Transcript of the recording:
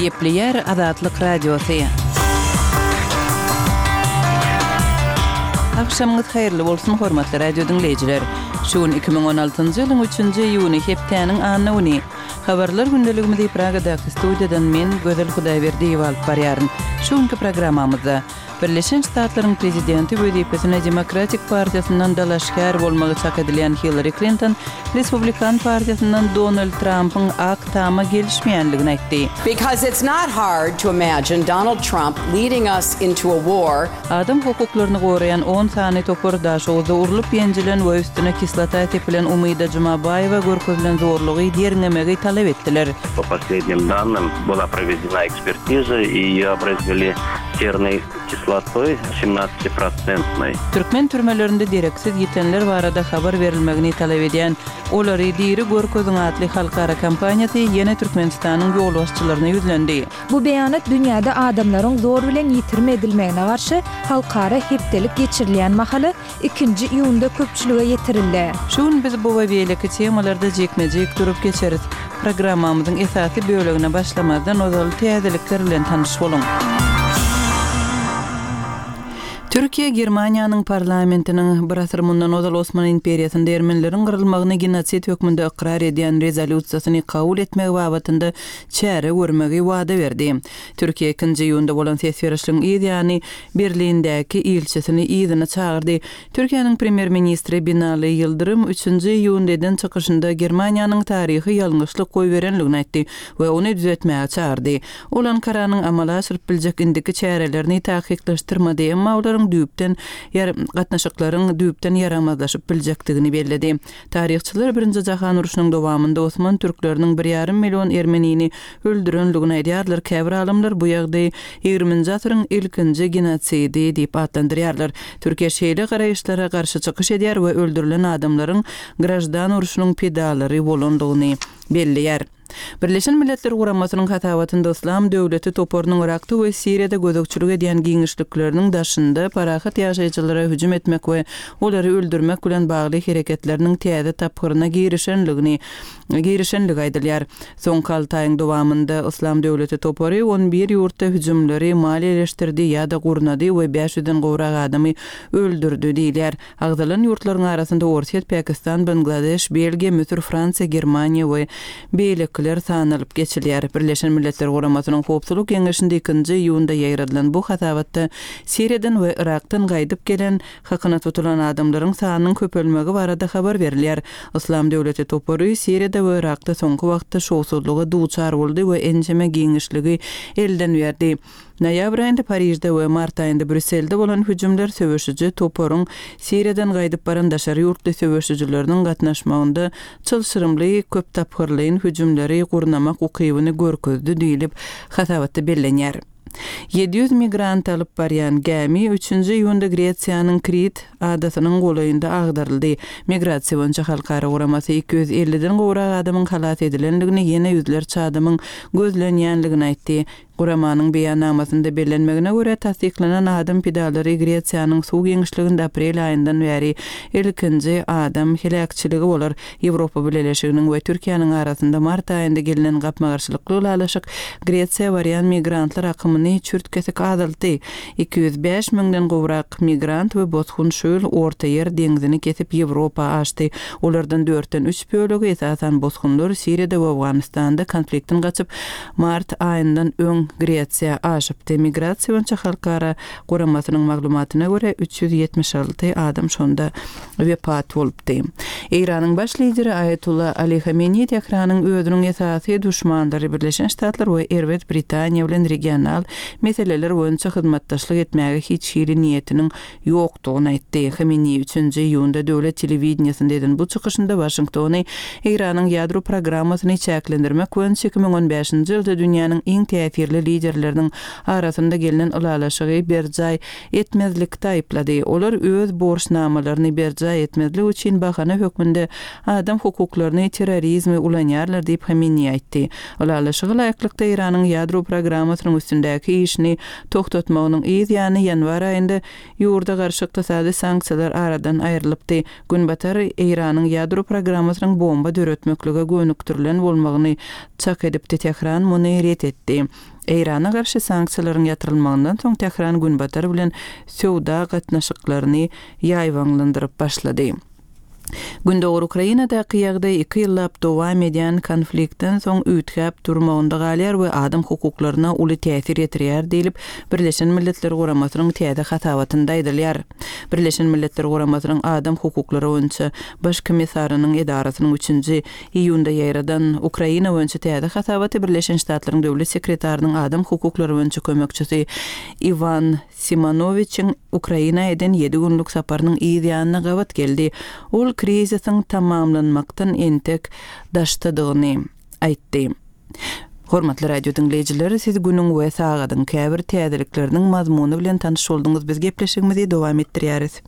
Gepleýär Azatlyk Radiosy. Agşamyňyz haýyrly bolsun, hormatly radio diňleýjiler! Şu gün 2016-njy ýylyň üçünji iýuny, hepdäniň anna güni. Habarlar gündeligimizi Pragadaky studiýadan men, Gözel Hudaýberdiýewa alyp barýaryn. Şu günki programmamyzda. Birleşen Ştatlaryň prezidenti wezipesine Demokratik partiýasyndan dalaşgär bolmagy çak edilýän Hillari Klinton Respublikan partiýasyndan Donald Trampyň Ak Tama gelişmeýänligini aýtdy. Because it's not hard to imagine Donald Trump leading us into a war. Adam hukuklaryny goraýan on sany topar Daşoguzda urlup-ýenjilen we üstüne kislota sepilen Umyda Jumabaýewa görkezilen zorlugy derňemegi talap etdiler. Po poslednim dannym byla provedena ekspertiza i ýe obrezbeli sernoý kislotoý semnadcatiprocentnoý. Türkmen türmelerinde dereksiz ýitenler barada habar berilmegini talap edýän Olary diri görkeziň atly halkara kampaniýasy ýene Türkmenistanyň ýolbaşçylaryna ýüzlendi. Bu beýanat dünýäde adamlaryň zor bilen ýitirim edilmegine garşy halkara hepdelik geçirilýän mahaly ikinji iýunda köpçülige ýetirildi. Şu gün biz bu we beýleki temalarda jikme-jik durup geçeris. Programmamyzyň esasy bölegine başlamazdan ozal täzelikler bilen tanyş boluň. Türkiýe Germaniýanyň parlamentiniň bir asyr mundan ozal Osman imperiýasynda ermenileriň gyrylmagyny genosid hökmünde ykrar edýän rezolýusiýasyny kabul etmegi babatynda çäre görmegi wada berdi. Türkiýe ikinji iýunda bolan ses berişligiň yz ýany Berlindäki ilçisini yzyna çagyrdy. Türkiýäniň premýer-ministri Binali Ýyldyrym üçünji iýunda eden çykyşynda Germaniýanyň taryhy ýalňyşlyk goýberenligini aýtdy we ony düzetmäge çagyrdy. Ol Ankaranyň amala aşyryp biljek indiki çärelerini takyklaşdyrmady, emma olaryň düýpden gatnaşyklaryň düýpden ýaramazlaşyp biljekdigini belledi. Taryhçylar Birinji jahan urşunyň dowamynda osman türkleriniň bir ýarym million ermenini öldürenligini aýdýarlar, käbir alymlar bu ýagdaýy ýigriminji asyryň ilkinji genosidi diýip atlandyrýarlar. Türkiýe şeýle garaýyşlara garşy çykyş edýär we öldürilen adamlaryň graždan urşunyň pidalary bolandygyny belleýär. Birleşen Milletler Guramasynyň hasabatynda Yslam döwleti toparynyň Yrakda we Siriýada gözegçilik edýän giňişlikleriniň daşynda parahat ýaşaýjylara hüjüm etmek we olary öldürmek bilen bagly hereketleriniň täze tapgyryna girişenligini girişenligi aýdylýar. Soňky alty aýyň dowamynda Yslam döwleti topary on bir ýurtda hüjümleri maliýeleşdirdi ýa-da gurnady we bäş ýüzden gowrak adamy öldürdi diýilýär. Agzalan ýurtlaryň arasynda Orsýet, Pakistan, Bangladeş, Belgiýa, Müsür, Fransiýa, Germaniýa we beýlekiler sanalyp geçilýär. Birleşen Milletler Guramasynyň Howpsuzlyk Geňeşinde ikinji iýunda ýaýradylan bu hasabatda Siriýadan we Yrakdan gaýdyp gelen, hakyna tutulan adamlaryň sanynyň köpelmegi barada habar berilýär. Yslam döwleti topary Siriýada we Yrakda soňky wagtda şowsuzlyga duçar boldy we ençeme giňişligi elden berdi. Noýabr aýynda Parižde we mart aýynda Brýusselde bolan hüjümler söweşiji toparyň Siriýadan gaýdyp baran daşary ýurtly söweşijileriniň gatnaşmagynda çylşyrymly köptapgyrlaýyn hüjümleri gurnamak ukybyny görkezdi diýlip, hasabatda bellenýär. 700 migranty alyp barýan gämi üçünji iýunda Gresiýanyň Krit adasynyň golaýynda agdaryldy. Migrasiýa boýunça halkara guramasy 250-den gowrak adamyň halas edilendigini, ýene ýüzlerçe adamyň gözlenýändigini aýtdy. Guramanyň beýannamasynda bellenmegine görä, tassyklanan adam pidalary Gresiýanyň suw giňişliginde aprel aýyndan bäri ilkinji adam heläkçiligi bolar. Ýewropa Bileleşiginiň we Türkiýäniň arasynda mart aýynda gelnen gapma-garşylykly ylalaşyk Gresiýa barýan migrantlar akymyny çürt-kesik azaltdy. 205 müňden gowrak migrant we bosgun şu ýyl Ortaýer deňzini kesip Ýewropa aşdy. Olardan dörtden üç bölegi, esasan bosgunlar, Siriýada we Owganystanda konfliktden gaçyp, mart aýyndan öň Gresiýa aşypdy. Migrasiýa boýunça halkara guramasynyň maglumatyna görä, 376 adam şonda wepat bolupdy. Eýranyň baş lideri Aýatolla Ali Hameneý Tähranyň özüniň esasy duşmanlary Birleşen Ştatlar we erbet Britaniýa bilen regional meseleler boýunça hyzmatdaşlyk etmäge hiç hili niýetiniň ýokdugyny aýtdy. Hameneý üçünji iýunda döwlet telewideniýesinde eden bu çykyşynda Waşingtony Eýranyň ýadro programmasyny çäklendirmek boýunça 2015-nji ýylda dünýäniň iň täsirli. ýerli liderleriniň arasynda gelnen ylalaşygy berjaý etmezlikde aýyplady. Olar öz borçnamalaryny berjaý etmezlik üçin bahana hökmünde adam hukuklaryny, terrorizmi ulanýarlar diýip, Hameneýi aýtdy. Ylalaşyga laýyklykda, Eýranyň ýadro programmasynyň üstündäki işini togtatmagynyň yz ýany ýanwar aýynda ýurda garşy ykdysady sanksiýalar aradan aýrylypdy. Günbatar Eýranyň ýadro programmasynyň bomba döretmeklige gönükdirilen bolmagyny çak edipdi, Tähran muny ret etdi. Eýrana garşy sanksiýalaryň ýatyrylmagyndan soň Tähran Günbatar bilen söwda gatnaşyklaryny ýaýbaňlandyryp başlady. Gündogar Ukrainadaky ýagdaý iki ýyllap dowam edýän konfliktden soň üýtgäp durmagynda galýar we adam hukuklaryna uly täsir ýetirýär diýlip, Birleşen Milletler Guramasynyň täze hasabatynda aýdylýar. Birleşen Milletler Guramasynyň Adam hukuklary boýunça Baş komissarynyň edarasynyň üçünji iýunda ýaýradan Ukraina boýunça täze hasabaty Birleşen Ştatlaryň Döwlet sekretarynyň adam hukuklary boýunça kömekçisi Iwan Simonowiçiň Ukraina eden ýedi günlük saparynyň yz ýanyna gabat geldi. Ol krizisiň tamamlanmakdan entek daşdadygyny aýtdy. Hormatly radio diňleýjiler, siz günüň we sagadyň käbir täzelikleriniň mazmuny bilen tanyş bolduňyz. Biz gepleşigimizi dowam etdirýäris.